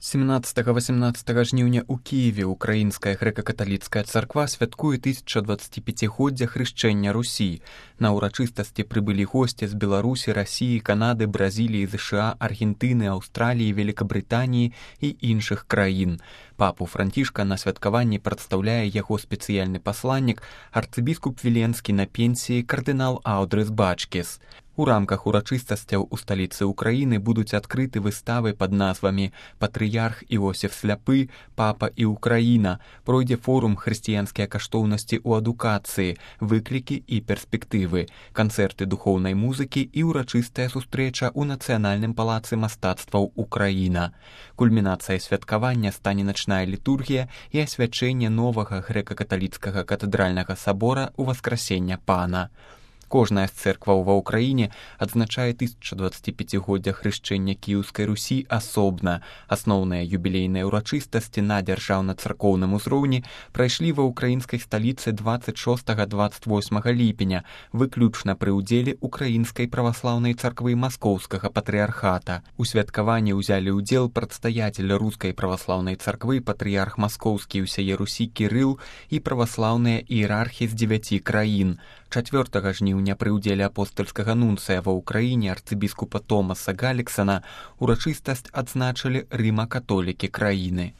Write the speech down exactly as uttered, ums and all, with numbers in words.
семнаццатага-васямнаццатага жніўня ў Кіеве Украінская грэка-каталіцкая царква святкуе тысячадваццаціпяцігоддзя хрышчэння Русі. На ўрачыстасці прыбылі госці з Беларусі, Расіі, Канады, Бразіліі, ЗША, Аргентыны, Аўстраліі, Великабрытаніі і іншых краін. Папу Францішка на святкаванні прадстаўляе яго спецыяльны пасланнік, арцыбіскуп Віленскі на пенсіі кардынал Аўдрыс Бачкіс. У рамках урачыстасцяў у сталіцы Украіны будуць адкрыты выставы пад назвамі «Патрыярх Іосіф Сляпы, Папа і Украіна», пройдзе форум «Хрысціянскія каштоўнасці ў адукацыі, выклікі і перспектывы», канцэрты духоўнай музыкі і ўрачыстая сустрэча ў Нацыянальным палацы мастацтваў Украіна. Кульмінацыяй святкавання стане начная літургія і асвячэнне новага грэка-каталіцкага катэдральнага сабора ў Васкрасення Пана. Кожная з цэркваў ва ўкраіне адзначае тысячадваццаціпяцігоддзя хрышчэння Кіеўскай Русі асобна. Асноўныя юбілейныя ўрачыстасці на дзяржаўна-царкоўным узроўні прайшлі ва ўкраінскай сталіцы дваццаць шостага - дваццаць восьмага ліпеня, выключна пры ўдзеле Украінскай праваслаўнай царквы Маскоўскага патрыярхата. У святкаванні ўзялі ўдзел прадстаятель рускай праваслаўнай царквы патрыярх Маскоўскі і ўсяе Русі Кірыл і праваслаўныя іерархі з дзевяці краін. чацвёртага жніўня пры ўдзеле апостальскага нунцыя ва ўкраіне арцыбіскупа Томаса Галіксана урачыстасць адзначылі рыма-католікі краіны.